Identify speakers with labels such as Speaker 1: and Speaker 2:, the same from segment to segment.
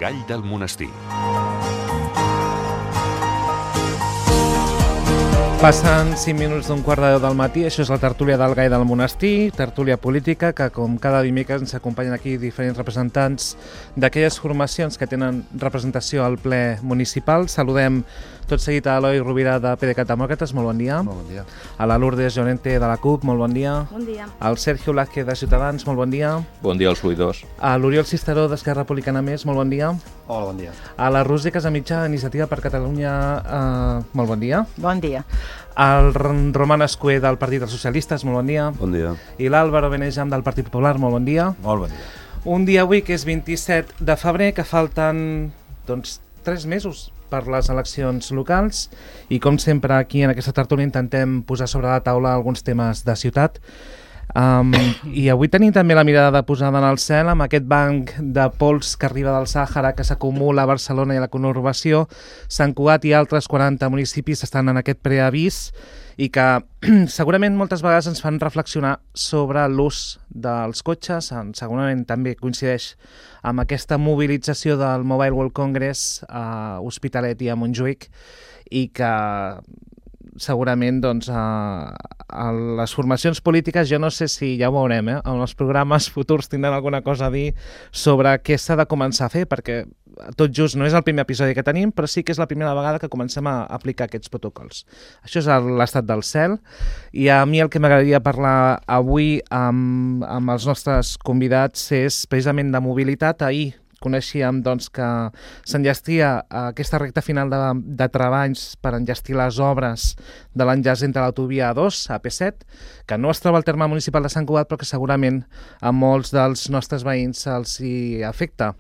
Speaker 1: Gall del Monestir.
Speaker 2: Passen 5 minuts d'un quart de 10 del matí, això és la tertúlia del Gall del Monestir, tertúlia política, que com cada dimecres ens acompanyen aquí diferents representants d'aquelles formacions que tenen representació al ple municipal. Saludem tot seguit a Eloi Rovira de PDeCAT Demòcrates, molt bon dia.
Speaker 3: Molt bon dia.
Speaker 2: A la Lourdes Llorente de la CUP, molt bon dia.
Speaker 4: Bon dia.
Speaker 2: Al Sergio Blázquez de Ciutadans, molt bon dia.
Speaker 5: Bon dia als oïdors.
Speaker 2: A l'Oriol Cisteró d'Esquerra Republicana Més, molt bon dia.
Speaker 3: Hola, bon dia.
Speaker 2: A la Roser Casamitjà d'Iniciativa per Catalunya, molt bon dia.
Speaker 4: Bon dia.
Speaker 2: El Roman Escuer del Partit dels Socialistes, molt bon dia.
Speaker 5: Bon dia.
Speaker 2: I l'Àlvaro Benejam del Partit Popular, molt bon dia.
Speaker 3: Molt bon dia.
Speaker 2: Un dia avui que és 27 de febrer, que falten 3 mesos per les eleccions locals i com sempre aquí en aquesta tertúlia intentem posar sobre la taula alguns temes de ciutat. I avui tenim també la mirada posada en el cel amb aquest banc de pols que arriba del Sàhara que s'acumula a Barcelona i a la conurbació. Sant Cugat i altres 40 municipis estan en aquest preavís i que segurament moltes vegades ens fan reflexionar sobre l'ús dels cotxes. Segurament també coincideix amb aquesta mobilització del Mobile World Congress a Hospitalet i a Montjuïc i que segurament a les formacions polítiques, jo no sé si ja ho veurem, en els programes futurs tindran alguna cosa a dir sobre què s'ha de començar a fer, perquè tot just no és el primer episodi que tenim, però sí que és la primera vegada que comencem a aplicar aquests protocols. Això és l'estat del cel i a mi el que m'agradaria parlar avui amb els nostres convidats és precisament de mobilitat. Ahir coneixíem que s'enllestia aquesta recta final de treballs per enllestir les obres de l'enllaç entre l'autovia A2, AP7, que no es troba al terme municipal de Sant Cugat, però que segurament a molts dels nostres veïns els hi afecta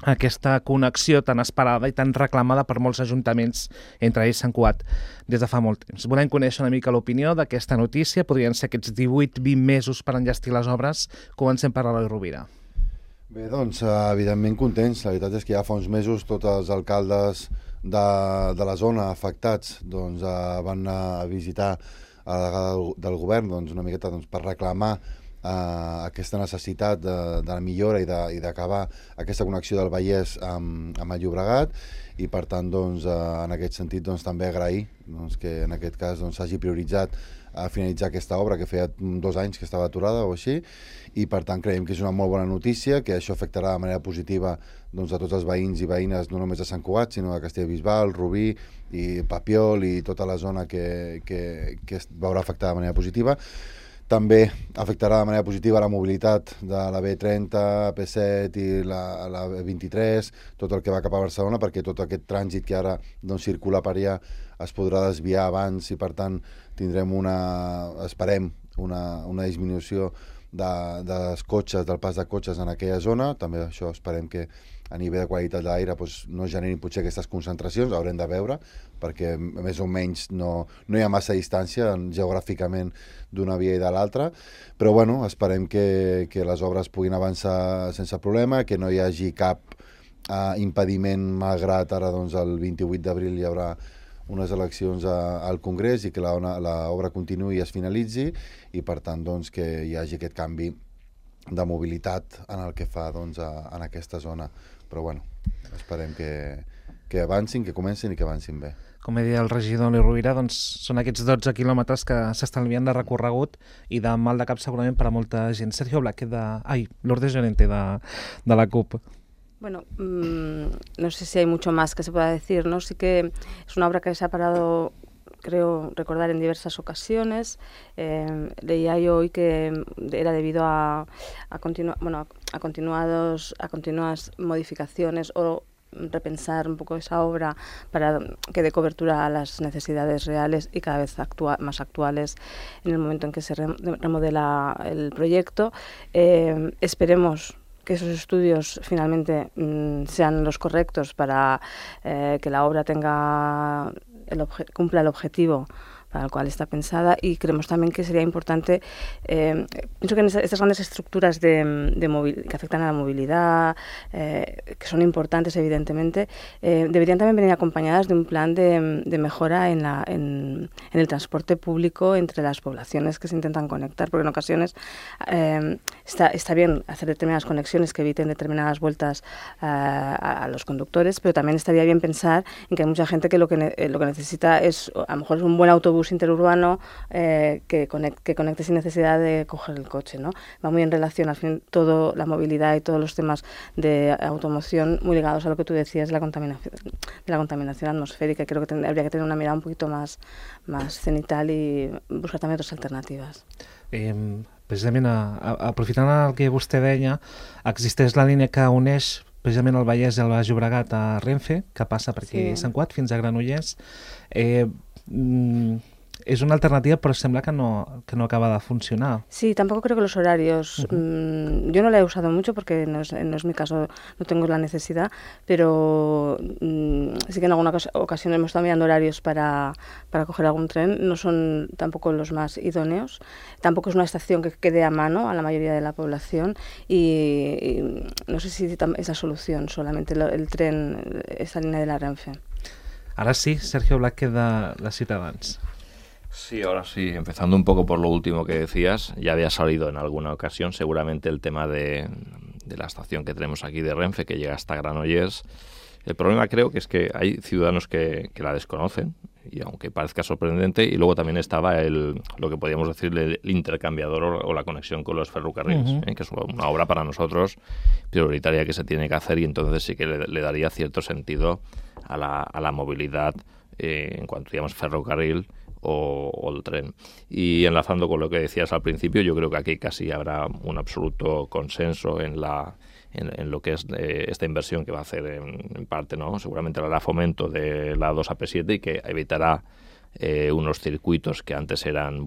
Speaker 2: aquesta connexió tan esperada i tan reclamada per molts ajuntaments, entre ells Sant Cugat, des de fa molt temps. Volem conèixer una mica l'opinió d'aquesta notícia. Podrien ser aquests 18-20 mesos per enllestir les obres. Comencem per Eloi Rovira.
Speaker 3: Bé, doncs, evidentment contents. La veritat és que ja fa uns mesos tots els alcaldes de la zona afectats van anar a visitar a la delegada del govern una miqueta per reclamar aquesta necessitat de la millora i d'acabar aquesta connexió del Vallès amb el Llobregat i per tant en aquest sentit també agrair que en aquest cas s'hagi prioritzat a finalitzar aquesta obra que feia 2 anys que estava aturada o així i per tant creiem que és una molt bona notícia, que això afectarà de manera positiva a tots els veïns i veïnes no només de Sant Cugat sinó de Castellbisbal, Rubí i Papiol i tota la zona que es veurà afectada de manera positiva. També afectarà de manera positiva la mobilitat de la B30, AP7 i la B23, tot el que va cap a Barcelona, perquè tot aquest trànsit que ara circula per allà es podrà desviar abans i per tant tindrem esperem una disminució dels cotxes, del pas de cotxes en aquella zona. També això esperem que a nivell de qualitat de l'aire no generin potser aquestes concentracions, haurem de veure, perquè més o menys no hi ha massa distància geogràficament d'una via i de l'altra, però bueno, esperem que les obres puguin avançar sense problema, que no hi hagi cap impediment, malgrat ara el 28 d'abril hi haurà unes eleccions al Congrés i que l'obra continuï i es finalitzi i per tant que hi hagi aquest canvi de mobilitat en el que fa en aquesta zona. Però bueno, esperem que avancin, que comencin i que avancin bé.
Speaker 2: Com deia el regidor Eloi Rovira, són aquests 12 quilòmetres que s'estalvien de recorregut i de mal de cap segurament per a molta gent. Sergio Blázquez Lourdes Llorente de la CUP.
Speaker 4: Bueno, no sé si hay mucho más que se pueda decir, ¿no? Sí que es una obra que se ha parado, creo recordar, en diversas ocasiones. Leía yo hoy que era debido a continuas modificaciones o repensar un poco esa obra para que dé cobertura a las necesidades reales y cada vez más actuales en el momento en que se remodela el proyecto. Esperemos que esos estudios finalmente sean los correctos para que la obra cumpla el objetivo para el cual está pensada, y creemos también que sería importante, pienso que en estas grandes estructuras que afectan a la movilidad, que son importantes evidentemente, deberían también venir acompañadas de un plan de mejora en el transporte público entre las poblaciones que se intentan conectar, porque en ocasiones está bien hacer determinadas conexiones que eviten determinadas vueltas a los conductores, pero también estaría bien pensar en que hay mucha gente que lo que necesita es, a lo mejor, es un buen autobús interurbano que conecte sin necesidad de coger el coche, ¿no? Va muy en relación, al fin, toda la movilidad y todos los temas de automoción muy ligados a lo que tú decías de la contaminación atmosférica. Creo que habría que tener una mirada un poquito más cenital y buscar també otras alternativas.
Speaker 2: Precisament, aprofitant el que vostè deia, existeix la línia que uneix precisament el Vallès i el Baix Llobregat a Renfe, que passa per aquí Sant Cugat fins a Granollers. Es una alternativa, pero sembla que no acaba de funcionar.
Speaker 4: Sí, tampoco creo que los horarios... yo no la he usado mucho porque no es mi caso, no tengo la necesidad, pero sí que en alguna ocasión hemos estado mirando horarios para coger algún tren. No son tampoco los más idóneos. Tampoco es una estación que quede a mano a la mayoría de la población y no sé si es la solución solamente el tren, esa línea de la Renfe.
Speaker 2: Ahora sí, Sergio Blázquez de Ciutadans.
Speaker 1: Sí, ahora sí, empezando un poco por lo último que decías, ya había salido en alguna ocasión seguramente el tema de la estación que tenemos aquí de Renfe, que llega hasta Granollers. El problema creo que es que hay ciudadanos que la desconocen, y aunque parezca sorprendente, y luego también estaba lo que podríamos decir el intercambiador o la conexión con los ferrocarriles, que es una obra para nosotros prioritaria que se tiene que hacer, y entonces sí que le daría cierto sentido a la movilidad en cuanto digamos ferrocarril o el tren. Y enlazando con lo que decías al principio, yo creo que aquí casi habrá un absoluto consenso en lo que es esta inversión que va a hacer en parte, ¿no? Seguramente hará fomento de la 2AP7 y que evitará unos circuitos que antes eran,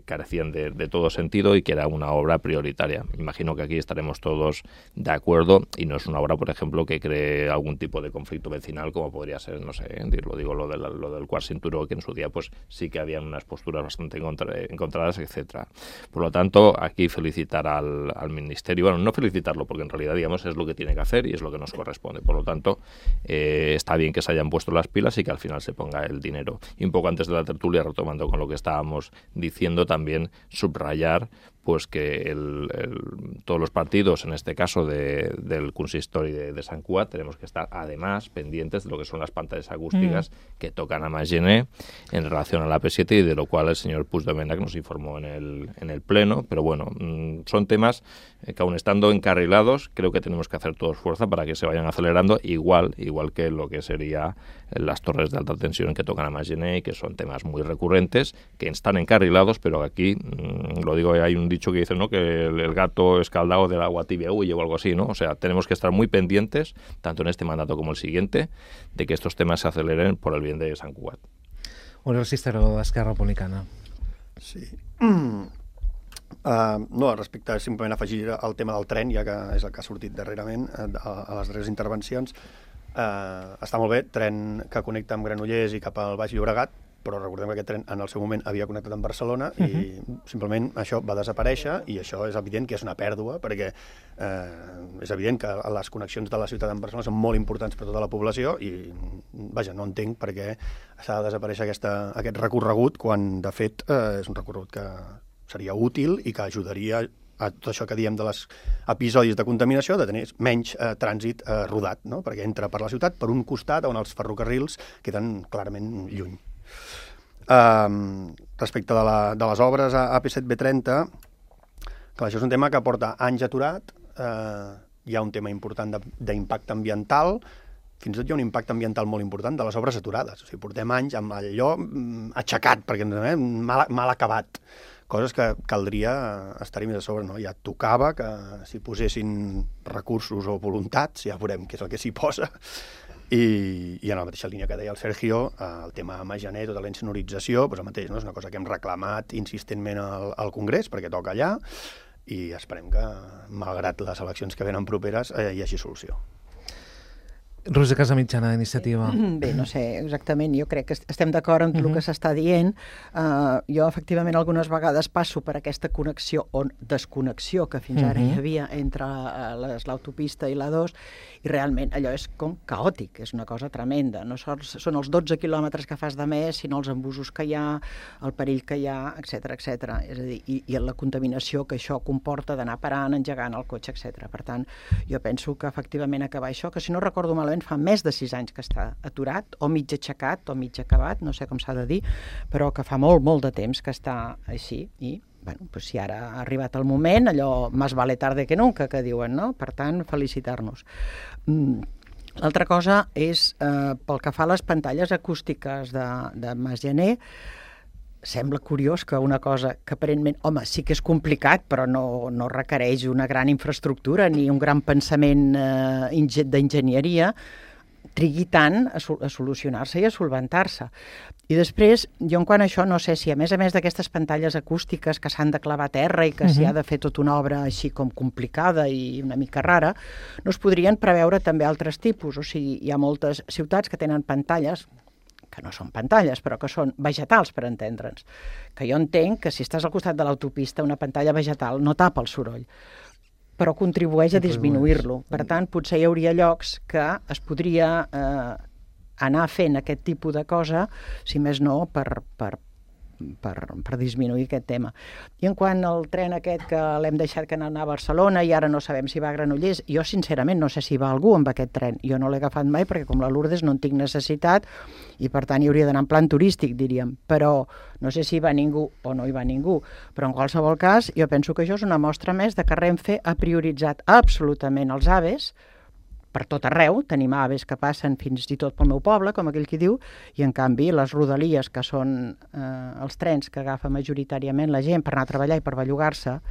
Speaker 1: carecían de todo sentido y que era una obra prioritaria. Imagino que aquí estaremos todos de acuerdo y no es una obra, por ejemplo, que cree algún tipo de conflicto vecinal como podría ser, no sé, lo del Quart Cinturó, que en su día pues sí que habían unas posturas bastante encontradas, etcétera. Por lo tanto, aquí felicitar al Ministerio, no felicitarlo porque en realidad, digamos, es lo que tiene que hacer y es lo que nos corresponde. Por lo tanto, está bien que se hayan puesto las pilas y que al final se ponga el dinero. Y un poco antes de la tertulia, retomando con lo que estábamos diciendo, también subrayar pues que todos los partidos, en este caso del consistori de Sant Cugat, tenemos que estar además pendientes de lo que son las pantallas acústicas que tocan a Maginer en relación a la AP7 y de lo cual el señor Puigdomènech nos informó en el pleno, pero bueno, son temas que aún estando encarrilados, creo que tenemos que hacer todos fuerza para que se vayan acelerando, igual que lo que sería las torres de alta tensión que tocan a Maginer y que son temas muy recurrentes, que están encarrilados, pero aquí, lo digo, hay un dicho que dice, ¿no?, que el gato escaldado del agua tibia huye o algo así, ¿no? O sea, tenemos que estar muy pendientes, tanto en este mandato como el siguiente, de que estos temas se aceleren por el bien de Sant Cugat.
Speaker 2: Oriol Ciceró, d'Esquerra Republicana.
Speaker 5: Sí. No, respecte a simplement afegir el tema del tren, ja que és el que ha sortit darrerament a les darreres intervencions, està molt bé, tren que connecta amb Granollers i cap al Baix Llobregat, però recordem que aquest tren en el seu moment havia connectat amb Barcelona i simplement això va desaparèixer i això és evident que és una pèrdua perquè és evident que les connexions de la ciutat amb Barcelona són molt importants per a tota la població i, vaja, no entenc per què s'ha de desaparèixer aquest recorregut quan, de fet, és un recorregut que seria útil i que ajudaria a tot això que diem de les episodis de contaminació, de tenir menys trànsit rodat, no? Perquè entra per la ciutat per un costat on els ferrocarrils queden clarament lluny. Respecte de les obres a AP7-B30, clar, això és un tema que porta anys aturat, hi ha un tema important d'impacte ambiental, fins i tot hi ha un impacte ambiental molt important de les obres aturades, o sigui, portem anys amb allò aixecat, perquè mal acabat, coses que caldria estar-hi més a sobre, no? Ja tocava que s'hi posessin recursos o voluntats, ja veurem què és el que s'hi posa, i en la mateixa línia que deia el Sergio, el tema Maginer, tota la insonorització, doncs el mateix, no? És una cosa que hem reclamat insistentment al Congrés perquè toca allà i esperem que, malgrat les eleccions que venen properes, hi hagi solució.
Speaker 2: Roser Casamitjana, Iniciativa.
Speaker 6: Bé, no sé exactament, jo crec que estem d'acord amb tot el que s'està dient. Jo, efectivament, algunes vegades passo per aquesta connexió o desconnexió que fins ara hi havia entre l'autopista i la 2, i realment allò és com caòtic, és una cosa tremenda. No sols són els 12 quilòmetres que fas de més, sinó els embussos que hi ha, el perill que hi ha, etc etc. És a dir, i la contaminació que això comporta d'anar parant, engegant el cotxe, etc. Per tant, jo penso que efectivament acabar això, que si no recordo malament fa més de 6 anys que està aturat, o mig aixecat, o mig acabat, no sé com s'ha de dir, però que fa molt, molt de temps que està així, i bueno, pues si ara ha arribat el moment, allò más vale tarde que nunca, que diuen, no? Per tant, felicitar-nos. L'altra cosa és, pel que fa a les pantalles acústiques de Mas Janer, sembla curiós que una cosa que aparentment, home, sí que és complicat, però no requereix una gran infraestructura ni un gran pensament d'enginyeria, trigui tant a solucionar-se i a solventar-se. I després, jo en quant a això, no sé si a més d'aquestes pantalles acústiques que s'han de clavar a terra i que s'hi ha de fer tota una obra així com complicada i una mica rara, no es podrien preveure també altres tipus. O sigui, hi ha moltes ciutats que tenen pantalles que no són pantalles, però que són vegetals, per entendre'ns. Que jo entenc que si estàs al costat de l'autopista, una pantalla vegetal no tapa el soroll, però contribueix a disminuir-lo. Per tant, potser hi hauria llocs que es podria anar fent aquest tipus de cosa, si més no, per disminuir aquest tema. I en quant al tren aquest que l'hem deixat que anar a Barcelona i ara no sabem si va a Granollers, jo sincerament no sé si va algú amb aquest tren. Jo no l'he agafat mai perquè com la Lourdes no en tinc necessitat i per tant hi hauria d'anar en plan turístic, diríem. Però no sé si hi va ningú o no hi va ningú. Però en qualsevol cas jo penso que això és una mostra més de que Renfe ha prioritzat absolutament els AVEs per tot arreu, tenim aves que passen fins i tot pel meu poble, com aquell qui diu, i en canvi les rodalies, que són els trens que agafa majoritàriament la gent per anar a treballar i per bellugar-se,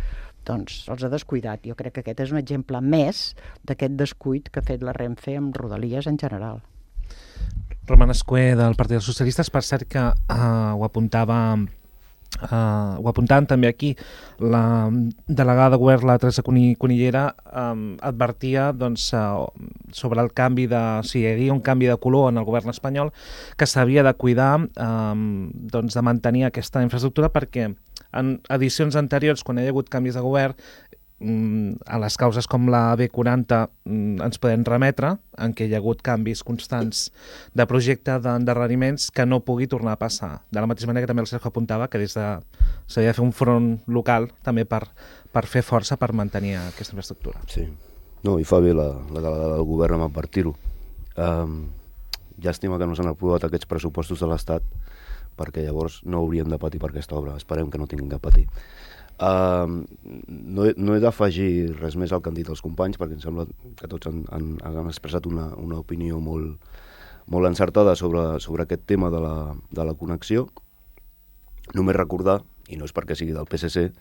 Speaker 6: doncs els ha descuidat. Jo crec que aquest és un exemple més d'aquest descuit que ha fet la Renfe amb rodalies en general.
Speaker 2: Roman Escuer, del Partit dels Socialistes, per cert que ho apuntaven també aquí, la delegada de govern, la Teresa Cunillera, advertia sobre el canvi si hi havia un canvi de color en el govern espanyol, que s'havia de cuidar de mantenir aquesta infraestructura, perquè en edicions anteriors, quan hi ha hagut canvis de govern, a les causes com la B40 ens podem remetre, en què hi ha hagut canvis constants de projecte, d'endarreriments, que no pugui tornar a passar. De la mateixa manera que també el Sergio apuntava que s'havia de fer un front local també per fer força per mantenir aquesta infraestructura.
Speaker 7: Sí, no, i fa bé la delegada del govern amb advertir-ho. Llàstima que no s'han aprovat aquests pressupostos de l'Estat, perquè llavors no hauríem de patir per aquesta obra. Esperem que no tinguin que patir. No he d'afegir res més al que han dit els companys, perquè em sembla que tots han expressat una opinió molt encertada sobre aquest tema de la connexió. Només recordar, i no és perquè sigui del PSC,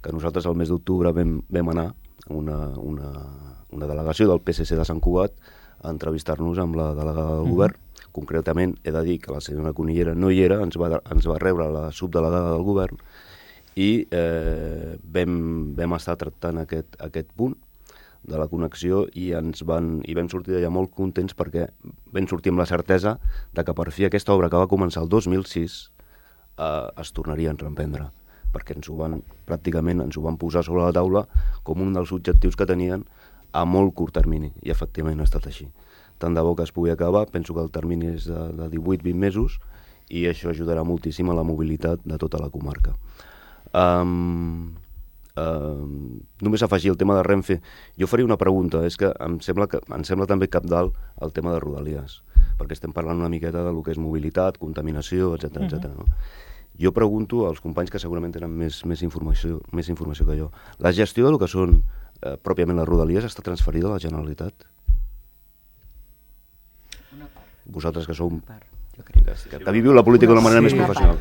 Speaker 7: que nosaltres el mes d'octubre vam anar a una delegació del PSC de Sant Cugat a entrevistar-nos amb la delegada del govern. Concretament he de dir que la senyora Cunillera no hi era, ens va rebre la subdelegada del govern, i vam estar tractant aquest punt de la connexió i vam sortir d'allà molt contents perquè vam sortir amb la certesa de que per fi aquesta obra que va començar el 2006 es tornaria a reemprendre, perquè pràcticament ens ho van posar sobre la taula com un dels objectius que tenien a molt curt termini, i efectivament ha estat així. Tant de bo que es pugui acabar, penso que el termini és de 18-20 mesos i això ajudarà moltíssim a la mobilitat de tota la comarca. Només afegir el tema de Renfe, jo faria una pregunta, és que em sembla també cabdal el tema de Rodalies, perquè estem parlant una miqueta de lo que és mobilitat, contaminació, etc. No? Jo pregunto als companys que segurament tenen més informació que jo, la gestió de lo que són pròpiament les Rodalies està transferida a la Generalitat? Vosaltres que sou que viviu la política d'una manera més professional.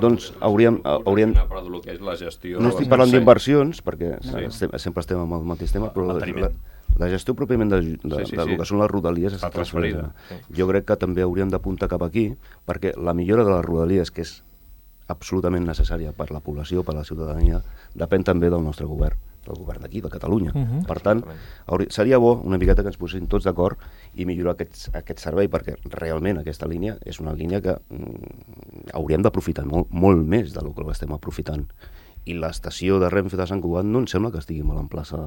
Speaker 7: Doncs hauríem... No estic parlant d'inversions, perquè sempre estem amb el mateix tema, però la gestió pròpiament del que són les Rodalies està transferida. Jo crec que també hauríem d'apuntar cap aquí, perquè la millora de les Rodalies, que és absolutament necessària per la població, per la ciutadania, depèn també del nostre govern, del govern d'aquí, de Catalunya. Per tant, seria bo una miqueta que ens posessin tots d'acord i millorar aquest servei, perquè realment aquesta línia és una línia que hauríem d'aprofitar molt més del que l'estem aprofitant. I l'estació de Renfe de Sant Cugat no em sembla que estigui molt en plaça.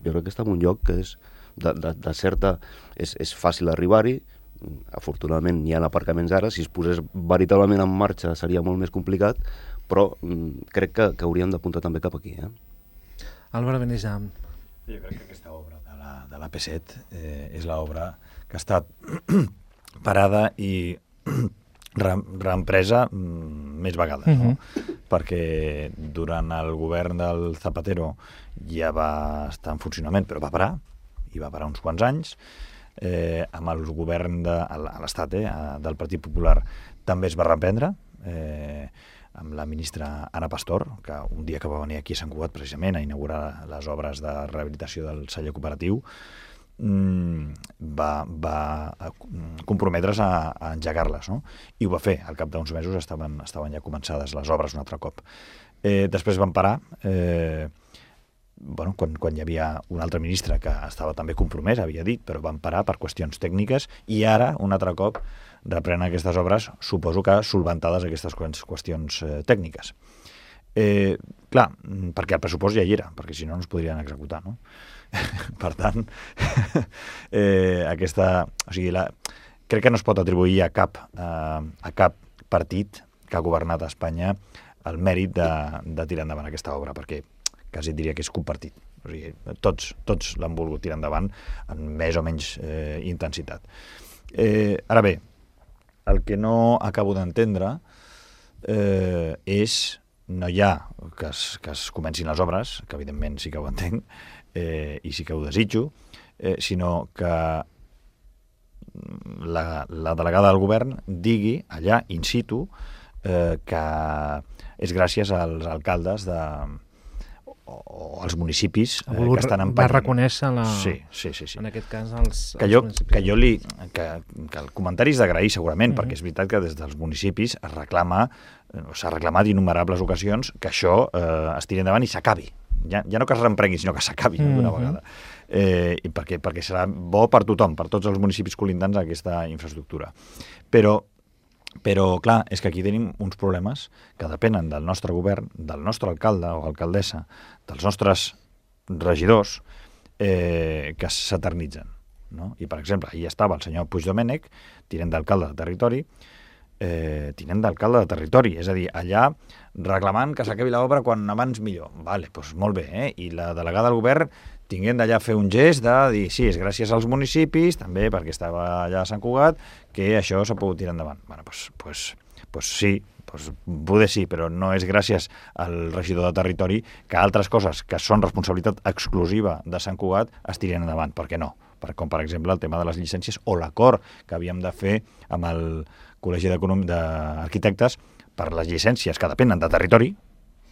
Speaker 7: Jo crec que està en un lloc que és de certa... És fàcil arribar-hi, afortunadament hi ha aparcaments ara, si es posés veritablement en marxa seria molt més complicat, però crec que hauríem d'apuntar també cap aquí.
Speaker 2: Álvaro Benejam.
Speaker 8: Jo crec que aquesta obra de l'AP7 és l'obra que ha estat parada i reempresa més vegades, no? Perquè durant el govern del Zapatero ja va estar en funcionament, però va parar, i va parar uns quants anys. Amb el govern a l'Estat del Partit Popular també es va reprendre, amb la ministra Ana Pastor, que un dia que va venir aquí a Sant Cugat precisament a inaugurar les obres de rehabilitació del celler cooperatiu, va comprometre's a engegar-les, no? I ho va fer. Al cap d'uns mesos estaven ja començades les obres un altre cop. Després van parar, quan hi havia un altre ministre que estava també compromès, havia dit, però van parar per qüestions tècniques, i ara, un altre cop, reprenen aquestes obres, suposo que solventades aquestes qüestions tècniques. Clar, perquè el pressupost ja hi era, perquè si no es podrien executar, no? Per tant, crec que no es pot atribuir a cap partit que ha governat a Espanya el mèrit de tirar endavant aquesta obra, perquè quasi diria que és compartit. O sigui, tots l'han volgut tirar endavant amb més o menys intensitat. Ara bé, el que no acabo d'entendre és, no hi ha que es comencin les obres, que evidentment sí que ho entenc, i sí que ho desitjo, sinó que la delegada del govern digui allà, in situ, que és gràcies als alcaldes o als municipis que estan empenyent.
Speaker 2: Va reconèixer
Speaker 8: sí.
Speaker 2: En aquest cas els
Speaker 8: municipis. Que el comentari és d'agrair segurament, perquè és veritat que des dels municipis s'ha reclamat innumerables ocasions que això es tiri endavant i s'acabi. Ja no que es reemprengui, sinó que s'acabi d'una vegada. I perquè serà bo per tothom, per tots els municipis colindants aquesta infraestructura. Però, clar, és que aquí tenim uns problemes que depenen del nostre govern, del nostre alcalde o alcaldessa, dels nostres regidors, que s'eternitzen, no? I, per exemple, ahir estava el senyor Puigdomènech, tinent d'alcalde de territori, és a dir, allà reclamant que s'acabi l'obra quan abans millor. Vale, doncs molt bé, I la delegada del govern tinguent d'allà fer un gest de dir, sí, és gràcies als municipis, també perquè estava allà a Sant Cugat, que això s'ha pogut tirar endavant. Bueno, doncs sí, poder sí, però no és gràcies al regidor de territori que altres coses que són responsabilitat exclusiva de Sant Cugat es tirin endavant. Per què no? Com, per exemple, el tema de les llicències o l'acord que havíem de fer amb el Col·legi d'Arquitectes per les llicències que depenen de territori,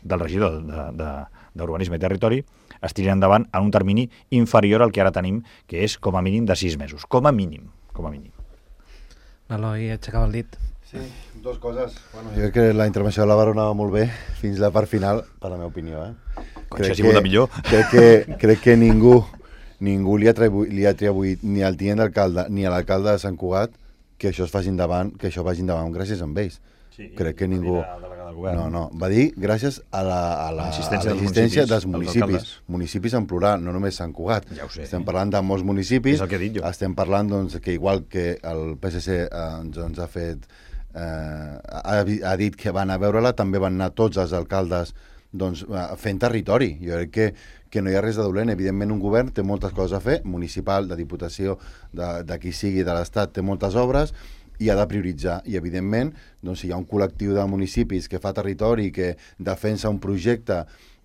Speaker 8: del regidor d'Urbanisme i Territori, es tirin endavant en un termini inferior al que ara tenim, que és com a mínim de 6 mesos. Com a mínim.
Speaker 2: Eloi aixecava el dit.
Speaker 3: Sí, dues coses. Bueno, jo crec que la intervenció de l'Àvaro anava molt bé fins la part final, per la meva opinió.
Speaker 8: Si ha sigut la millor.
Speaker 3: Crec que ningú li ha atribuït ni al tinent d'alcalde ni a l'alcalde de Sant Cugat que això vagi endavant gràcies a ells. Sí, crec que ningú... No, va dir gràcies a l'assistència dels municipis en plural, no només Sant Cugat.
Speaker 8: Ja ho sé.
Speaker 3: Estem parlant de molts municipis.
Speaker 8: És el que he dit jo.
Speaker 3: Estem parlant que igual que el PSC ens ha fet ha dit que van a veure-la, també van anar tots els alcaldes fent territori. Jo crec que no hi ha res de dolent. Evidentment un govern té moltes coses a fer, municipal, de diputació, de qui sigui, de l'Estat, té moltes obres i ha de prioritzar. I evidentment, si hi ha un col·lectiu de municipis que fa territori, que defensa un projecte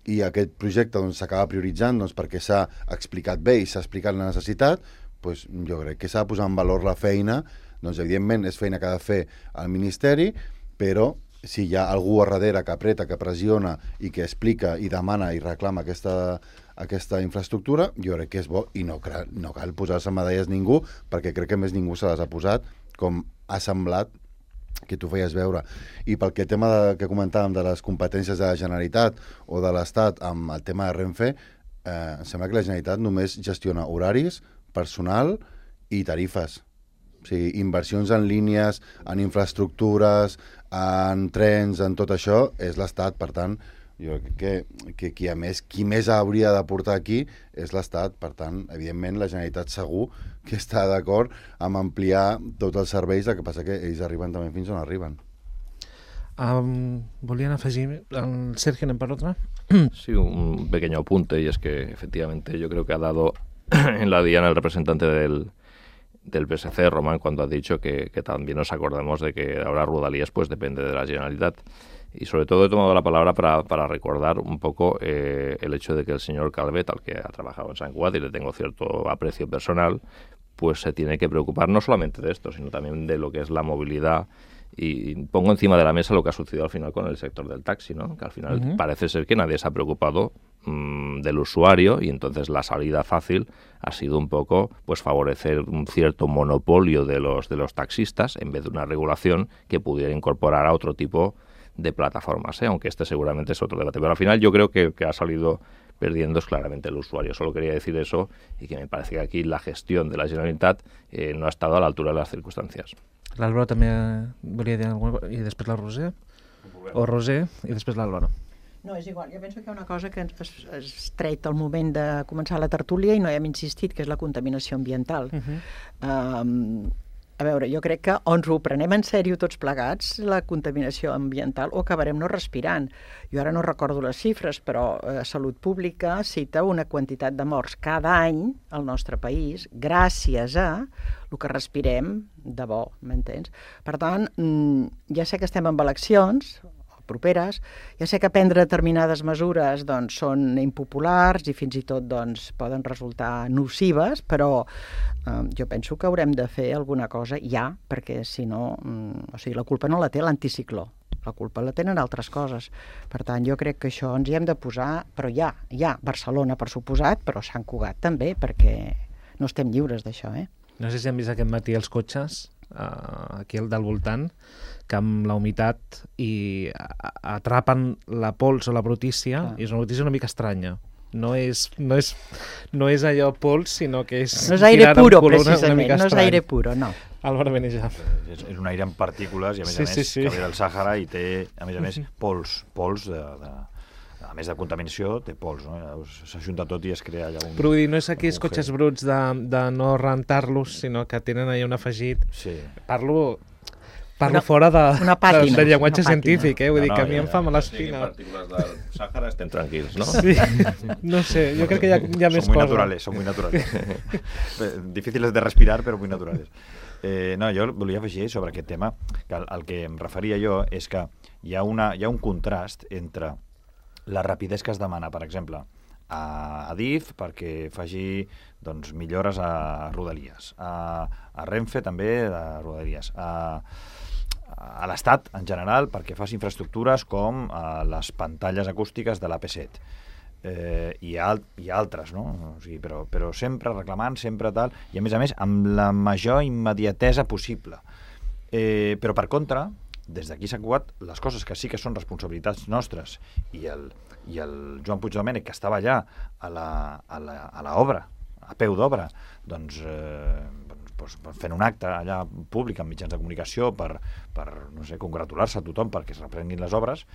Speaker 3: i aquest projecte s'acaba prioritzant perquè s'ha explicat bé i s'ha explicat la necessitat, jo crec que s'ha de posar en valor la feina. Evidentment és feina que ha de fer el Ministeri, però si hi ha algú a darrere que apreta, que pressiona i que explica i demana i reclama aquesta infraestructura, jo crec que és bo i no cal posar-se medalles ningú, perquè crec que més ningú se les ha posat, com ha semblat que tu feies veure. I pel tema que comentàvem de les competències de la Generalitat o de l'Estat amb el tema de Renfe, em sembla que la Generalitat només gestiona horaris, personal i tarifes. O sigui, inversions en línies, en infraestructures, en trens, en tot això, és l'Estat. Per tant, jo crec que qui més hauria de portar aquí és l'Estat. Per tant, evidentment, la Generalitat segur que està d'acord amb ampliar tots els serveis, el que passa que ells arriben també fins on arriben.
Speaker 2: ¿Volían afegir al Sergio en otra?
Speaker 1: Sí, un pequeño apunte, y es que efectivamente yo creo que ha dado en la diana el representante del PSC, Román, cuando ha dicho que también nos acordamos de que ahora Rodalies pues depende de la Generalitat. Y sobre todo he tomado la palabra para recordar un poco el hecho de que el señor Calvet, al que ha trabajado en Sant Cugat y le tengo cierto aprecio personal, pues se tiene que preocupar no solamente de esto, sino también de lo que es la movilidad. Y pongo encima de la mesa lo que ha sucedido al final con el sector del taxi, ¿no? Que al final parece ser que nadie se ha preocupado del usuario, y entonces la salida fácil ha sido un poco pues favorecer un cierto monopolio de los taxistas en vez de una regulación que pudiera incorporar a otro tipo de plataformas, aunque este seguramente es otro debate. Pero al final yo creo que ha salido perdiendo es claramente el usuario. Solo quería decir eso, y que me parece que aquí la gestión de la Generalitat no ha estado a la altura de las circunstancias.
Speaker 2: L'Àlvaro també volia dir alguna cosa, i després la Roser, o Roser, i després l'Àlvaro.
Speaker 6: No, és igual. Jo penso que hi ha una cosa que es tret al moment de començar la tertúlia i no hi hem insistit, que és la contaminació ambiental. A veure, jo crec que o ens ho prenem en sèrio tots plegats, la contaminació ambiental, o acabarem no respirant. Jo ara no recordo les xifres, però Salut Pública cita una quantitat de morts cada any al nostre país gràcies a el que respirem de bo, m'entens? Per tant, ja sé que estem en eleccions properes, ja sé que prendre determinades mesures doncs, són impopulars i fins i tot doncs, poden resultar nocives, però jo penso que haurem de fer alguna cosa ja, perquè si no, o sigui, la culpa no la té l'anticicló, la culpa la tenen altres coses. Per tant, jo crec que això ens hi hem de posar, però ja, Barcelona per suposat, però Sant Cugat també, perquè no estem lliures d'això,
Speaker 2: No sé si han vist aquest matí els cotxes, aquí al del voltant, que amb la humitat i atrapen la pols o la brutícia, i és una brutícia una mica estranya. No és allò pols, sinó que és...
Speaker 6: No és aire puro, precisament, no és aire puro, no.
Speaker 2: Álvaro Benejam.
Speaker 8: És un aire amb partícules i, a més a més, que ve del Sàhara i té, a més, pols a més de contaminació, té pols, no? S'ajunta tot i es crea allà un...
Speaker 2: Però vull dir, no és aquells cotxes bruts de no rentar-los, sinó que tenen allà un afegit.
Speaker 8: Sí.
Speaker 2: Parlo fora de llenguatge científic, vull dir que a mi em fa mala espina.
Speaker 1: Les partícules del Sàhara estem tranquils, no?
Speaker 2: Sí, no sé, jo crec que hi ha més coses.
Speaker 8: Son muy naturales. Difíciles de respirar, però muy naturales. No, jo volia afegir sobre aquest tema, que el que em referia jo és que hi ha un contrast entre la rapidesa que es demana, per exemple, a DIF perquè faci doncs, millores a Rodalies, a Renfe també a Rodalies, a l'Estat en general perquè faci infraestructures com les pantalles acústiques de l'AP7 i altres, no? O sigui, però sempre reclamant, sempre tal, i a més, amb la major immediatesa possible. Però per contra, des d'aquí s'han cugat les coses que sí que són responsabilitats nostres i el Joan Puigdomènech, que estava allà a l'obra, a peu d'obra, doncs fent un acte allà públic amb mitjans de comunicació per no sé, congratular-se a tothom perquè es reprenguin les obres,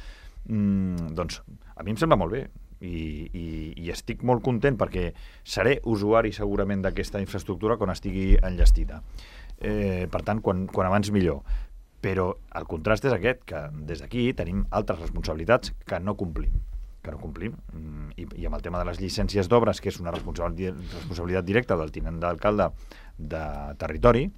Speaker 8: doncs a mi em sembla molt bé i estic molt content perquè seré usuari segurament d'aquesta infraestructura quan estigui enllestida. Per tant, quan abans millor. Però el contrast és aquest, que des d'aquí tenim altres responsabilitats que no complim. I amb el tema de les llicències d'obres, que és una responsabilitat directa del tinent d'alcalde de territori,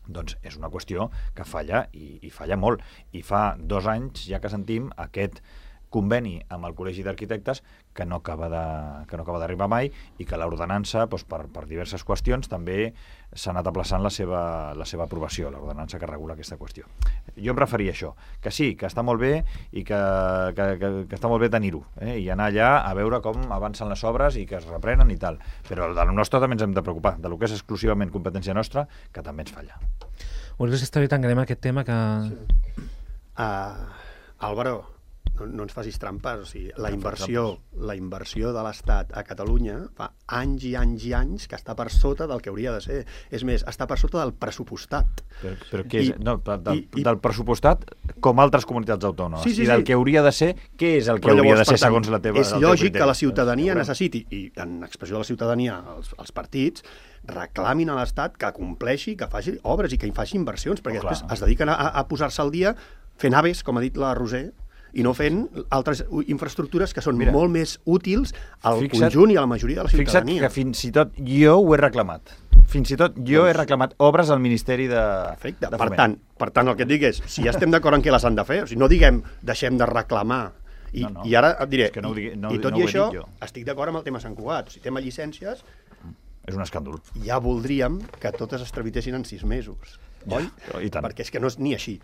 Speaker 8: doncs és una qüestió que falla i falla molt. I fa 2 anys ja que sentim aquest conveni amb el Col·legi d'Arquitectes que no acaba d'arribar mai i que l'ordenança, doncs, per diverses qüestions, també s'ha anat aplaçant la seva aprovació, l'ordenança que regula aquesta qüestió. Jo em referia a això, que sí, que està molt bé i que està molt bé tenir-ho, i anar allà a veure com avancen les obres i que es reprenen i tal, però del nostre també ens hem de preocupar, del que és exclusivament competència nostra, que també ens falla.
Speaker 2: Vols que està bé tan greu aquest tema que...
Speaker 5: Álvaro, no ens facis trampes, o sigui, la inversió de l'Estat a Catalunya fa anys i anys i anys que està per sota del que hauria de ser. És més, està per sota del pressupostat.
Speaker 8: Però què és? Del pressupostat com altres comunitats autònomes.
Speaker 5: Sí,
Speaker 8: I del que hauria de ser, què és el que hauria de ser segons la teva...
Speaker 5: És lògic que la ciutadania necessiti, i en expressió de la ciutadania, els partits reclamin a l'Estat que compleixi, que faci obres i que hi faci inversions, perquè després es dediquen a posar-se al dia fent aves, com ha dit la Roser, i no fent altres infraestructures que són molt més útils al conjunt i a la majoria de la ciutadania.
Speaker 8: Fixa't que fins i tot jo ho he reclamat. Fins i tot jo he reclamat obres al Ministeri de Foment.
Speaker 5: Per tant, el que et dic és, si ja estem d'acord en què les han de fer, o sigui, no diguem deixem de reclamar, i ara et diré, i tot i això, estic d'acord amb el tema Sant Cugat, o sigui, tema llicències,
Speaker 8: és un escàndol.
Speaker 5: Ja voldríem que totes es tramitessin en 6 mesos, oi?
Speaker 8: I tant.
Speaker 5: Perquè és que no és ni així.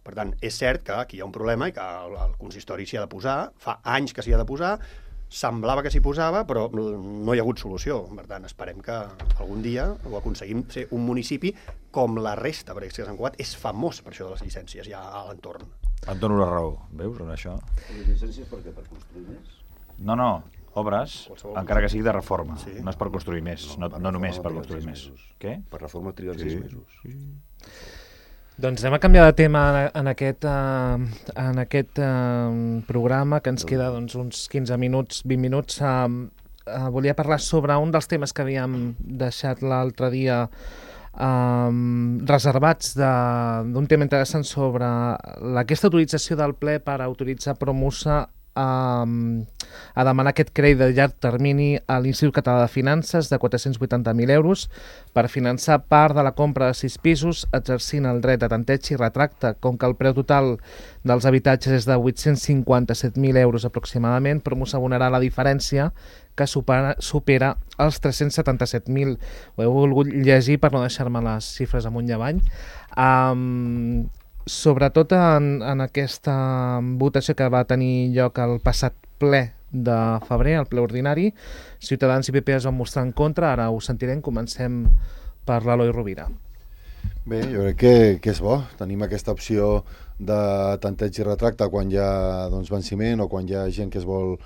Speaker 5: Per tant, és cert que aquí hi ha un problema i que el consistori s'hi ha de posar, fa anys que s'hi ha de posar, semblava que s'hi posava, però no hi ha hagut solució. Per tant, esperem que algun dia ho aconseguim ser un municipi com la resta, perquè Sant Cugat és famós per això de les llicències ja a l'entorn.
Speaker 8: Et dono la raó, veus, en això?
Speaker 7: Les llicències per què? Per construir més?
Speaker 8: No, obres, encara que sigui de reforma. No és per construir més, no només per construir més. Què?
Speaker 7: Per reforma triguen 6 mesos.
Speaker 2: Doncs anem a canviar de tema en aquest programa, que ens queda uns 15 minuts, 20 minuts. Volia parlar sobre un dels temes que havíem deixat l'altre dia reservats, d'un tema interessant sobre aquesta utilització del ple per autoritzar Promusa a demanar aquest crèdit de llarg termini a l'Institut Català de Finances de 480.000 euros per finançar part de la compra de 6 pisos, exercint el dret de tanteig i retracte. Com que el preu total dels habitatges és de 857.000 euros aproximadament, Promusa abonarà la diferència, que supera els 377.000. Ho he volgut llegir per no deixar-me les xifres amunt i avall. Sobretot en aquesta votació que va tenir lloc el passat ple de febrer, el ple ordinari, Ciutadans i PP es van mostrar en contra. Ara ho sentirem. Comencem per l'Eloi Rovira.
Speaker 3: Bé, jo crec que és bo. Tenim aquesta opció de tanteig i retracte quan hi ha venciment o quan hi ha gent que es vol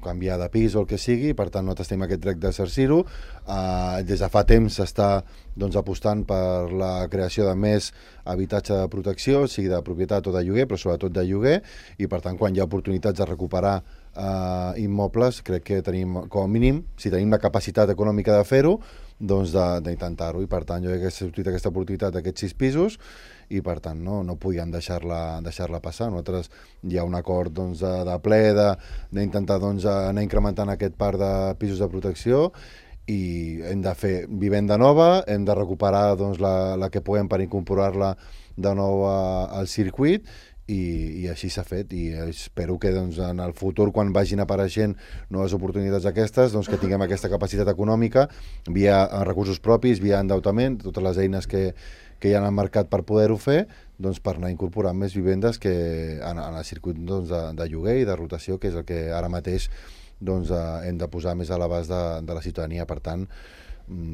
Speaker 3: canviar de pis o el que sigui, per tant nosaltres tenim aquest dret d'exercir-ho. Des de fa temps s'està apostant per la creació de més habitatge de protecció, sigui de propietat o de lloguer, però sobretot de lloguer, i per tant quan hi ha oportunitats de recuperar immobles, crec que tenim, com a mínim, si tenim la capacitat econòmica de fer-ho, doncs d'intentar-ho, i per tant jo crec que s'ha sortit aquesta oportunitat d'aquests 6 pisos, i per tant no podien deixar-la passar. Nosaltres hi ha un acord de ple d'intentar anar incrementant aquest parc de pisos de protecció, i hem de fer vivenda nova, hem de recuperar la que puguem per incorporar-la de nou al circuit, i així s'ha fet, i espero que en el futur, quan vagin apareixent noves oportunitats aquestes, que tinguem aquesta capacitat econòmica via recursos propis, via endeutament, totes les eines que hi ha al mercat per poder-ho fer, per anar incorporant més vivendes en el circuit de lloguer i de rotació, que és el que ara mateix hem de posar més a l'abast de la ciutadania. Per tant,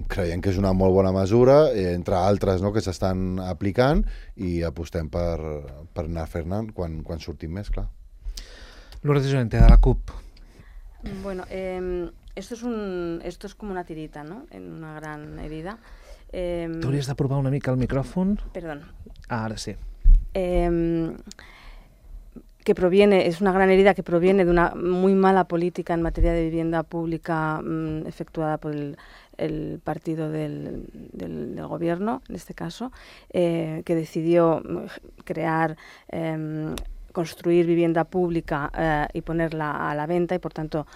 Speaker 3: creiem que és una molt bona mesura, entre altres que s'estan aplicant, i apostem per anar fent-ne quan sortim més, clar.
Speaker 2: Lourdes Llorente, de la CUP.
Speaker 4: Bueno, esto es como una tirita, ¿no? En una gran herida.
Speaker 2: T'hauries de provar una mica el micròfon.
Speaker 4: Perdón.
Speaker 2: Ahora sí.
Speaker 4: Es una gran herida que proviene de una muy mala política en materia de vivienda pública efectuada por el partido del gobierno, en este caso, que decidió crear, construir vivienda pública y ponerla a la venta, y por tanto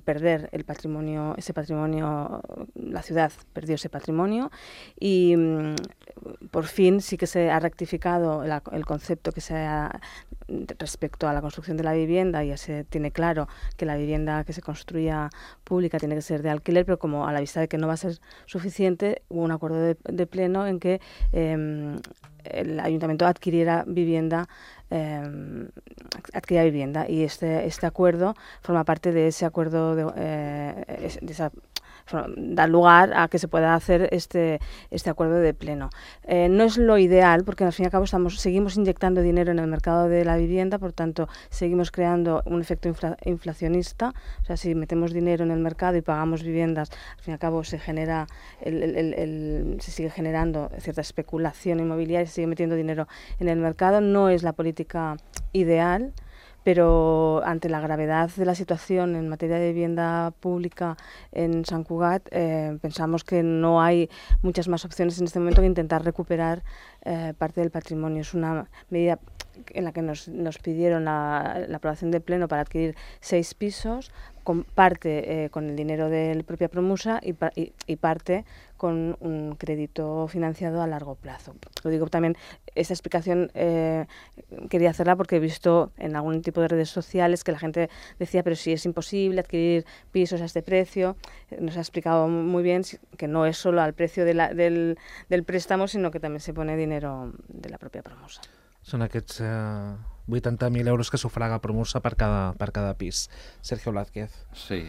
Speaker 4: perder ese patrimonio, la ciudad perdió ese patrimonio, y por fin sí que se ha rectificado el concepto que se ha respecto a la construcción de la vivienda. Ya se tiene claro que la vivienda que se construya pública tiene que ser de alquiler, pero como a la vista de que no va a ser suficiente, hubo un acuerdo de pleno en que el ayuntamiento adquiriera vivienda, y este acuerdo forma parte de ese acuerdo de esa da lugar a que se pueda hacer este acuerdo de pleno. No es lo ideal porque al fin y al cabo seguimos inyectando dinero en el mercado de la vivienda, por tanto seguimos creando un efecto inflacionista. O sea, si metemos dinero en el mercado y pagamos viviendas, al fin y al cabo se genera se sigue generando cierta especulación inmobiliaria, se sigue metiendo dinero en el mercado. No es la política ideal, pero ante la gravedad de la situación en materia de vivienda pública en Sant Cugat, pensamos que no hay muchas más opciones en este momento que intentar recuperar parte del patrimonio. Es una medida en la que nos pidieron la aprobación de pleno para adquirir 6 pisos, parte con el dinero de propia Promusa y parte con un crédito financiado a largo plazo. Lo digo también, esta explicación quería hacerla porque he visto en algún tipo de redes sociales que la gente decía, pero si es imposible adquirir pisos a este precio. Nos ha explicado muy bien que no es solo al precio del préstamo, sino que también se pone dinero de la propia Promusa.
Speaker 2: Són aquests 80.000 euros que sufraga Promusa per cada pis. Sergio Blázquez.
Speaker 1: Sí,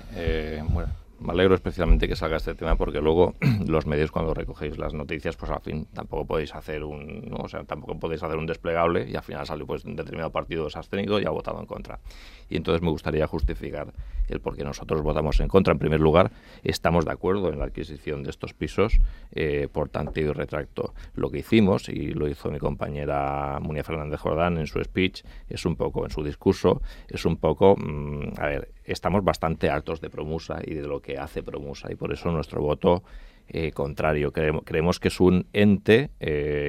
Speaker 1: bueno, me alegro especialmente que salga este tema porque luego los medios cuando recogéis las noticias, pues al fin tampoco podéis hacer un desplegable y al final salió pues un determinado partido se ha abstenido y ha votado en contra. Y entonces me gustaría justificar el por qué nosotros votamos en contra. En primer lugar, estamos de acuerdo en la adquisición de estos pisos, por tanto y retracto. Lo que hicimos, y lo hizo mi compañera Munia Fernández Jordán en su speech, es un poco, en su discurso, es un poco, estamos bastante hartos de Promusa y de lo que hace Promusa y por eso nuestro voto contrario. Creemos que es un ente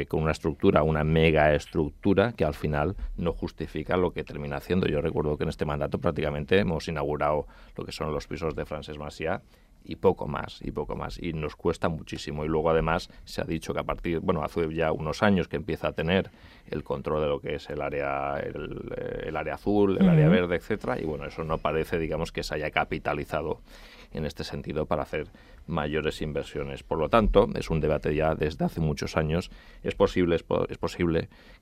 Speaker 1: con una estructura, una mega estructura que al final no justifica lo que termina haciendo. Yo recuerdo que en este mandato prácticamente hemos inaugurado lo que son los pisos de Francesc Macià y poco más, y nos cuesta muchísimo. Y luego además se ha dicho que hace ya unos años que empieza a tener el control de lo que es el área azul, el área verde, etcétera, y bueno, eso no parece, digamos, que se haya capitalizado en este sentido para hacer mayores inversiones. Por lo tanto, es un debate ya desde hace muchos años. Es posible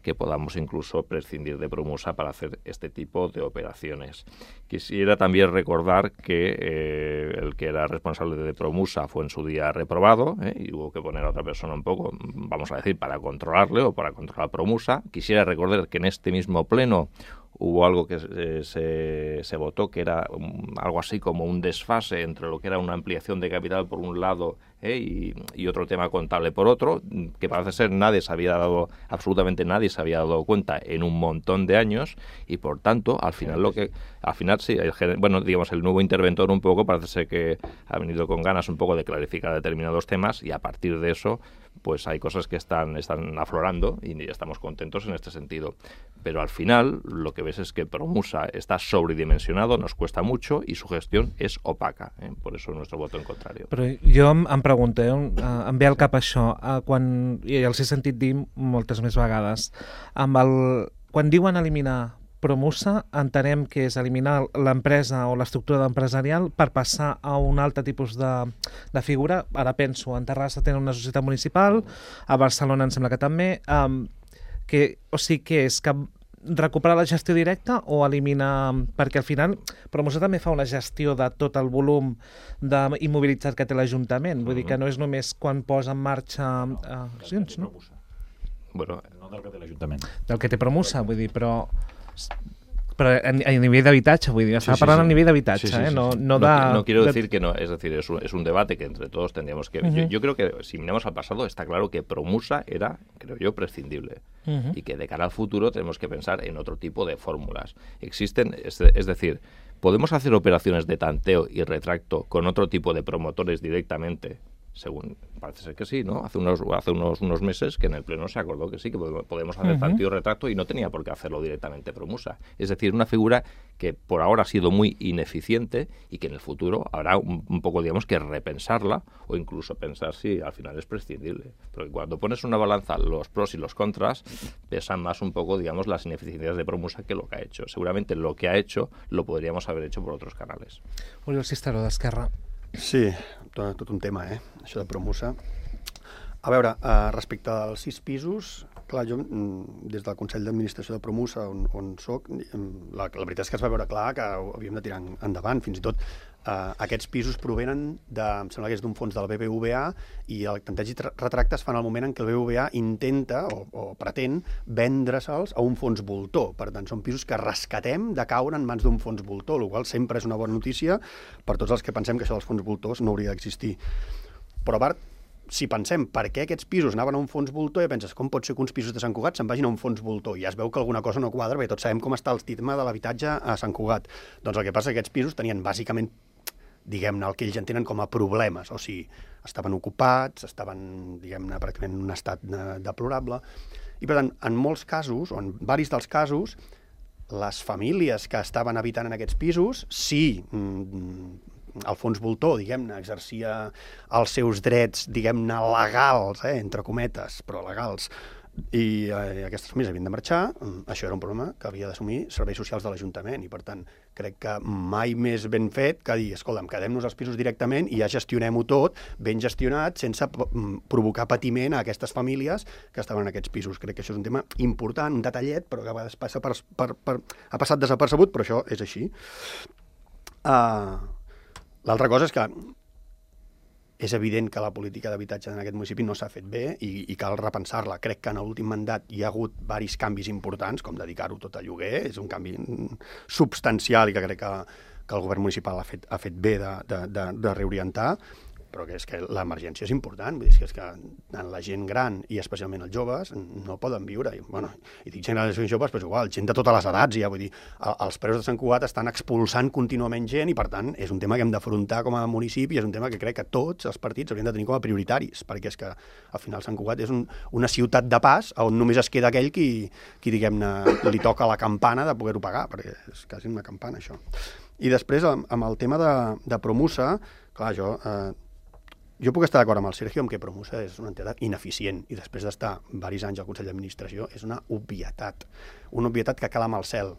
Speaker 1: que podamos incluso prescindir de Promusa para hacer este tipo de operaciones. Quisiera también recordar que el que era responsable de Promusa fue en su día reprobado, y hubo que poner a otra persona un poco, vamos a decir, para controlarle o para controlar Promusa. Quisiera recordar que en este mismo pleno hubo algo que se votó que era algo así como un desfase entre lo que era una ampliación de capital por un lado y otro tema contable por otro, que parece ser absolutamente nadie se había dado cuenta en un montón de años y por tanto al final sí, digamos el nuevo interventor un poco parece ser que ha venido con ganas un poco de clarificar determinados temas y a partir de eso pues hay cosas que están aflorando y estamos contentos en este sentido. Pero al final lo que ves es que Promusa está sobredimensionado, nos cuesta mucho y su gestión es opaca. Por eso nuestro voto en contrario.
Speaker 2: Però jo em pregunto, em ve al cap això, i els he sentit dir moltes més vegades, quan diuen eliminar Promusa, entenem que és eliminar l'empresa o l'estructura empresarial per passar a un altre tipus de figura. Ara penso, en Terrassa tenen una societat municipal, a Barcelona em sembla que també, o sigui, què és? Que recuperar la gestió directa o eliminar... Perquè al final Promusa també fa una gestió de tot el volum immobilitzat que té l'Ajuntament. Vull dir que no és només quan posa en marxa accions, no?
Speaker 1: Bueno,
Speaker 8: no del que té l'Ajuntament.
Speaker 2: Del que té Promusa, vull dir, però a nivell d'habitatge, vull dir, estava parlant a nivell d'habitatge,
Speaker 1: no quiero decir que no, es decir, es un debate que entre todos tendríamos que... Yo creo que si miramos al pasado está claro que Promusa era, creo yo, prescindible y que de cara al futuro tenemos que pensar en otro tipo de fórmulas. Existen, es decir, podemos hacer operaciones de tanteo y retracto con otro tipo de promotores directamente, según parece ser que sí, ¿no? Hace unos meses que en el Pleno se acordó que sí, que podemos hacer tanteo y retracto y no tenía por qué hacerlo directamente Promusa. Es decir, una figura que por ahora ha sido muy ineficiente y que en el futuro habrá un poco, digamos, que repensarla o incluso pensar si al final es prescindible. Porque cuando pones una balanza los pros y los contras, pesan más un poco, digamos, las ineficiencias de Promusa que lo que ha hecho. Seguramente lo que ha hecho lo podríamos haber hecho por otros canales.
Speaker 2: Oriol Cisteró, d'Esquerra.
Speaker 5: Sí, tot un tema, això de Promusa. A veure, respecte als 6 pisos, Clar, jo, des del Consell d'Administració de Promusa, on soc, la veritat és que es va veure clar que havíem de tirar endavant. Fins i tot aquests pisos provenen em sembla que és d'un fons del BBVA, i el tanteig i retracte es fa en el moment en què el BBVA intenta o pretén vendre-se'ls a un fons voltor. Per tant, són pisos que rescatem de caure en mans d'un fons voltor, el qual sempre és una bona notícia per tots els que pensem que això dels fons voltors no hauria d'existir. Però, a part, si pensem per què aquests pisos anaven a un fons voltor, i penses, com pot ser que uns pisos de Sant Cugat se'n vagin a un fons voltor? I ja es veu que alguna cosa no quadra, perquè tots sabem com està el tema de l'habitatge a Sant Cugat. Doncs el que passa és que aquests pisos tenien bàsicament, diguem-ne, el que ells entenen com a problemes, o sigui, estaven ocupats, estaven, diguem-ne, pràcticament en un estat deplorable, i per tant, en molts casos, o en varis dels casos, les famílies que estaven habitant en aquests pisos, sí, el fons voltor, diguem-ne, exercia els seus drets, diguem-ne, legals, entre cometes, però legals, i aquestes famílies havien de marxar. Això era un problema que havia d'assumir serveis socials de l'Ajuntament, i per tant crec que mai més ben fet que dir, escolta'm, quedem-nos els pisos directament i ja gestionem-ho tot, ben gestionat, sense provocar patiment a aquestes famílies que estaven en aquests pisos. Crec que això és un tema important, un detallet, però que a vegades passa ha passat desapercebut, però això és així. L'altra cosa és que és evident que la política d'habitatge en aquest municipi no s'ha fet bé i cal repensar-la. Crec que en l'últim mandat hi ha hagut diversos canvis importants, com dedicar-ho tot a lloguer, és un canvi substancial i que crec que el govern municipal ha fet bé de reorientar, però que és que l'emergència és important, vull dir, és que la gent gran i especialment els joves no poden viure, i dic gent gran i joves, però igual, gent de totes les edats, ja, vull dir, els preus de Sant Cugat estan expulsant contínuament gent i per tant és un tema que hem d'afrontar com a municipi, és un tema que crec que tots els partits haurien de tenir com a prioritaris, perquè és que al final Sant Cugat és una ciutat de pas on només es queda aquell qui diguem-ne, li toca la campana de poder-ho pagar, perquè és quasi una campana això. I després, amb el tema de Promusa, clar, jo puc estar d'acord amb el Sergio en que Promusa és una entitat ineficient i després d'estar diversos anys al Consell d'Administració és una obvietat que cala amb el cel.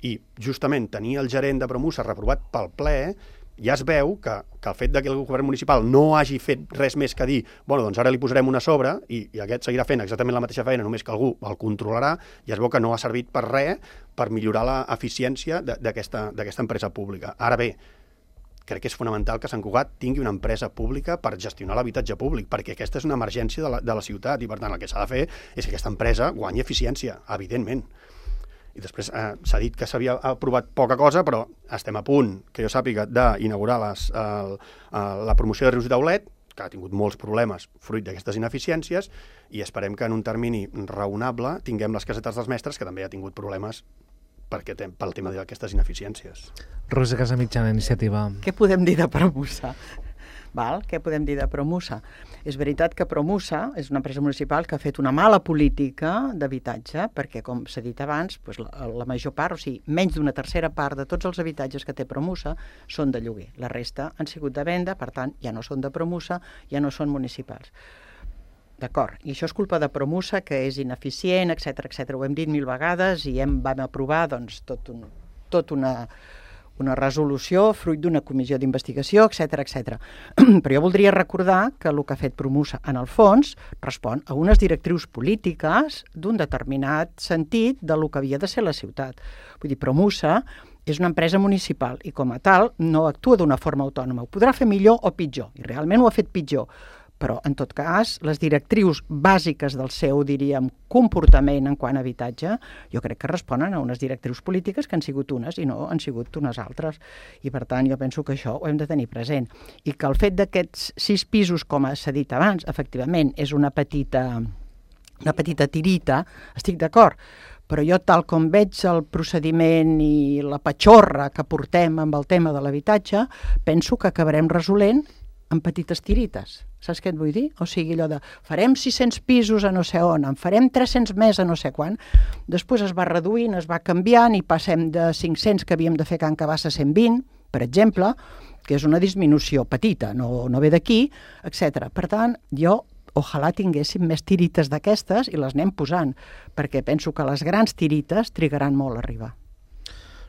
Speaker 5: I justament tenir el gerent de Promusa reprovat pel ple, ja es veu que el fet que el govern municipal no hagi fet res més que dir doncs ara li posarem una sobre i aquest seguirà fent exactament la mateixa feina, només que algú el controlarà, ja es veu que no ha servit per res per millorar l'eficiència d'aquesta empresa pública. Ara bé, crec que és fonamental que Sant Cugat tingui una empresa pública per gestionar l'habitatge públic, perquè aquesta és una emergència de la ciutat i, per tant, el que s'ha de fer és que aquesta empresa guanyi eficiència, evidentment. I després s'ha dit que s'havia aprovat poca cosa, però estem a punt, que jo sàpiga, d'inaugurar la promoció de Rius i Taulet, que ha tingut molts problemes fruit d'aquestes ineficiències, i esperem que en un termini raonable tinguem les casetes dels mestres, que també ha tingut problemes pel tema d'aquestes ineficiències.
Speaker 2: Rosa Casamitjana, Iniciativa.
Speaker 6: Què podem dir de Promusa? Què podem dir de Promusa? És veritat que Promusa és una empresa municipal que ha fet una mala política d'habitatge, perquè, com s'ha dit abans, la major part, o sigui, menys d'una tercera part de tots els habitatges que té Promusa són de lloguer. La resta han sigut de venda, per tant, ja no són de Promusa, ja no són municipals. D'acord, i això és culpa de Promusa, que és ineficient, etc. Ho hem dit 1000 vegades i vam aprovar tot una resolució fruit d'una comissió d'investigació, etc. Però jo voldria recordar que el que ha fet Promusa, en el fons, respon a unes directrius polítiques d'un determinat sentit del que havia de ser la ciutat. Vull dir, Promusa és una empresa municipal i, com a tal, no actua d'una forma autònoma. Ho podrà fer millor o pitjor, i realment ho ha fet pitjor. Però, en tot cas, les directrius bàsiques del seu, diríem, comportament en quant a habitatge, jo crec que responen a unes directrius polítiques que han sigut unes i no han sigut unes altres. I, per tant, jo penso que això ho hem de tenir present. I que el fet d'aquests 6 pisos, com s'ha dit abans, efectivament, és una petita tirita, estic d'acord, però jo, tal com veig el procediment i la patxorra que portem amb el tema de l'habitatge, penso que acabarem resolent en petites tirites. Saps què et vull dir? O sigui, allò de farem 600 pisos a no sé on, en farem 300 més a no sé quan. Després es va reduint, es va canviant i passem de 500 que havíem de fer Can Cabassa a 120, per exemple, que és una disminució petita, no ve d'aquí, etc. Per tant, jo ojalà tinguéssim més tirites d'aquestes i les anem posant, perquè penso que les grans tirites trigaran molt a arribar.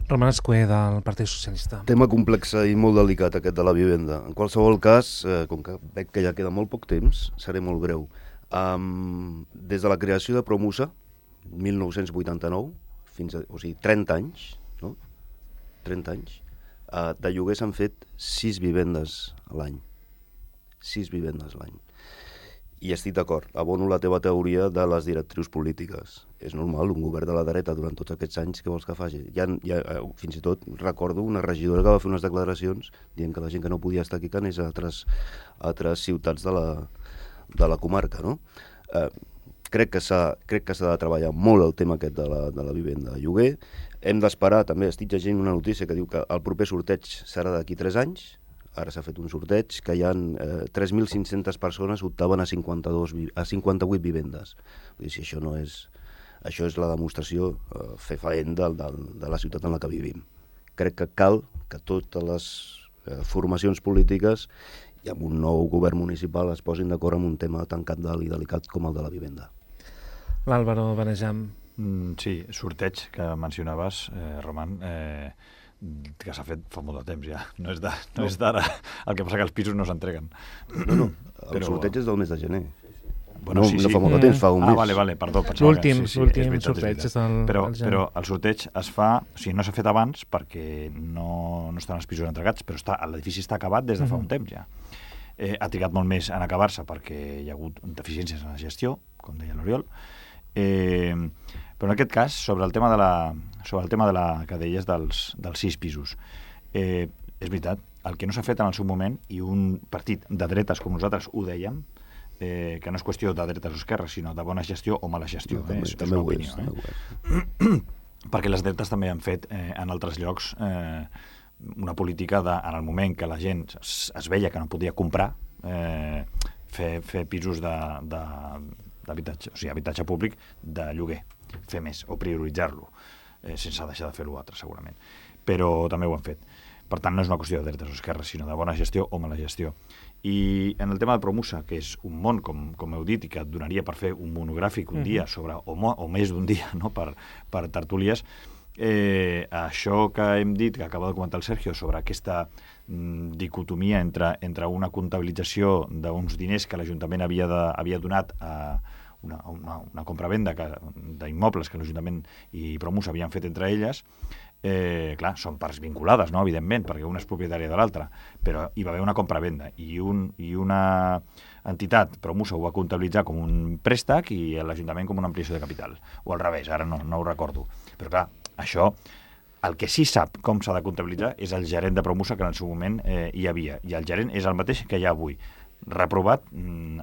Speaker 2: Roman Escué, del Partit Socialista.
Speaker 7: Tema complex i molt delicat, aquest de la vivenda. En qualsevol cas, com que veig que ja queda molt poc temps, seré molt breu. Des de la creació de Promusa, 1989, o sigui, 30 anys, no? 30 anys, de lloguer s'han fet 6 vivendes a l'any. 6 vivendes a l'any. I estic d'acord, abono la teva teoria de les directrius polítiques. És normal, un govern de la dreta durant tots aquests anys, què vols que faci? Fins i tot recordo una regidora que va fer unes declaracions dient que la gent que no podia estar aquí que anés a altres ciutats de la comarca, no? Crec que s'ha de treballar molt el tema aquest de la vivenda de lloguer. Hem d'esperar, també estic llegint una notícia que diu que el proper sorteig serà d'aquí 3 anys. Ara s'ha fet un sorteig que hi ha 3.500 persones optaven a 58 vivendes. Vull dir, si això no és... Això és la demostració fefaent de la ciutat en la que vivim. Crec que cal que totes les formacions polítiques i amb un nou govern municipal es posin d'acord amb un tema tan cabdal i delicat com el de la vivenda.
Speaker 2: L'Àlvaro Benejam.
Speaker 8: Sí, sorteig que mencionaves, Roman, que s'ha fet fa molt de temps ja, no és d'ara, el que passa que els pisos no s'entreguen.
Speaker 7: No, el sorteig és del mes de gener.
Speaker 8: Bueno,
Speaker 7: no fa molt de temps, fa un mes.
Speaker 8: Vale, perdó.
Speaker 2: L'últim sorteig és del
Speaker 8: però el sorteig es fa, o sigui, no s'ha fet abans perquè no estan els pisos entregats, però l'edifici està acabat des de fa un temps ja. Ha trigat molt més en acabar-se perquè hi ha hagut deficiències en la gestió, com deia l'Oriol, però en aquest cas, sobre el tema que deies dels 6 pisos, és veritat, el que no s'ha fet en el seu moment, i un partit de dretes com nosaltres ho dèiem, que no és qüestió de dretes o esquerres, sinó de bona gestió o mala gestió. És una opinió. Perquè les dretes també han fet en altres llocs una política en el moment que la gent es veia que no podia comprar, fer pisos d'habitatge, o sigui, habitatge públic de lloguer, fer més o prioritzar-lo, sense deixar de fer l'altre, segurament. Però també ho han fet. Per tant, no és una qüestió de dretes o esquerres, sinó de bona gestió o mala gestió. I en el tema de Promusa, que és un món, com heu dit, i que et donaria per fer un monogràfic un dia sobre, o més d'un dia, no? per tertúlies, això que hem dit, que acaba de comentar el Sergio, sobre aquesta dicotomia entre una comptabilització d'uns diners que l'Ajuntament havia donat a una compra-venda d'immobles que l'Ajuntament i Promusa havien fet entre elles, clar, són parts vinculades, no? Evidentment, perquè una és propietària de l'altra, però hi va haver una compra-venda i una entitat, Promusa, ho va comptabilitzar com un préstec i l'Ajuntament com una ampliació de capital, o al revés, ara no ho recordo. Però clar, això, el que sí sap com s'ha de comptabilitzar és el gerent de Promusa que en el seu moment hi havia, i el gerent és el mateix que hi ha avui, reprovat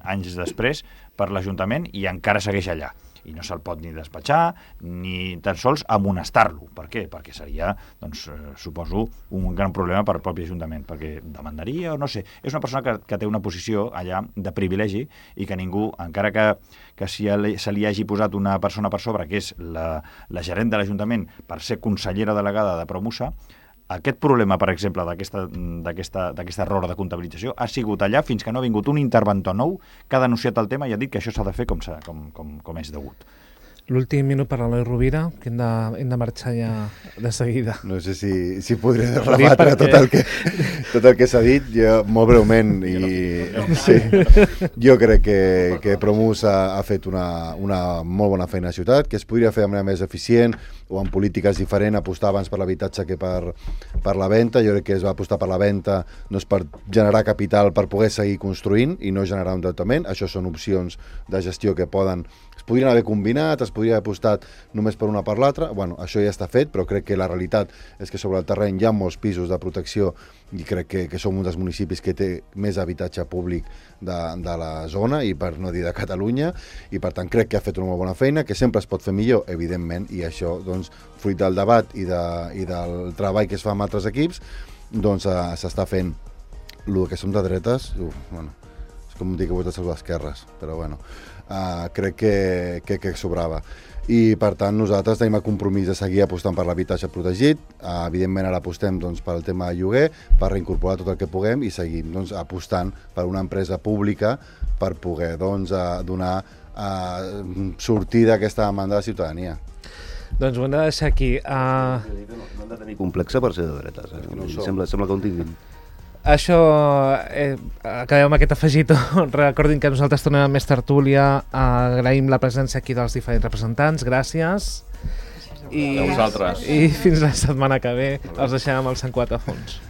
Speaker 8: anys després per l'Ajuntament i encara segueix allà. I no se'l pot ni despatxar, ni tan sols amonestar-lo. Per què? Perquè seria, doncs, suposo, un gran problema per al propi Ajuntament, perquè demandaria o no sé. És una persona que té una posició allà de privilegi i que ningú, encara que se li hagi posat una persona per sobre, que és la gerent de l'Ajuntament, per ser consellera delegada de Promusa, aquest problema, per exemple, d'aquest error de comptabilització ha sigut allà fins que no ha vingut un interventor nou que ha denunciat el tema i ha dit que això s'ha de fer com és degut.
Speaker 2: L'últim minut per a l'Eloi Rovira, que hem de marxar ja de seguida.
Speaker 3: No sé si podré rebatre tot el que s'ha dit, jo, molt breument. Sí, jo crec que Promus ha fet una molt bona feina a la ciutat, que es podria fer de manera més eficient o amb polítiques diferents, apostar abans per l'habitatge que per la venda. Jo crec que es va apostar per la venda no és per generar capital per poder seguir construint i no generar un endeutament. Això són opcions de gestió que es podrien haver combinat, es podria haver apostat només per una per l'altra. Bueno, això ja està fet, però crec que la realitat és que sobre el terreny hi ha molts pisos de protecció i crec que som un dels municipis que té més habitatge públic de la zona i per no dir de Catalunya, i per tant crec que ha fet una molt bona feina, que sempre es pot fer millor, evidentment, i això, doncs, fruit del debat i del treball que es fa amb altres equips, doncs s'està fent. El que som de dretes, bueno, és com dir que votes a les esquerres, però bueno, crec que sobrava. I per tant nosaltres tenim el compromís de seguir apostant per l'habitatge protegit. Evidentment ara apostem doncs, pel tema de lloguer, per reincorporar tot el que puguem i seguim doncs, apostant per una empresa pública per poder doncs, donar sortida a aquesta demanda de la ciutadania.
Speaker 2: Doncs ho hem de deixar aquí.
Speaker 7: No han de tenir complexa per ser de dretes. No sembla que ho tinguin.
Speaker 2: Això, acabem amb aquest afegitó. Recordin que nosaltres tornem amb més tertúlia. Agraïm la presència aquí dels diferents representants. Gràcies.
Speaker 1: A vosaltres.
Speaker 2: I fins la setmana que ve els deixem amb el Sant Quatre a fons.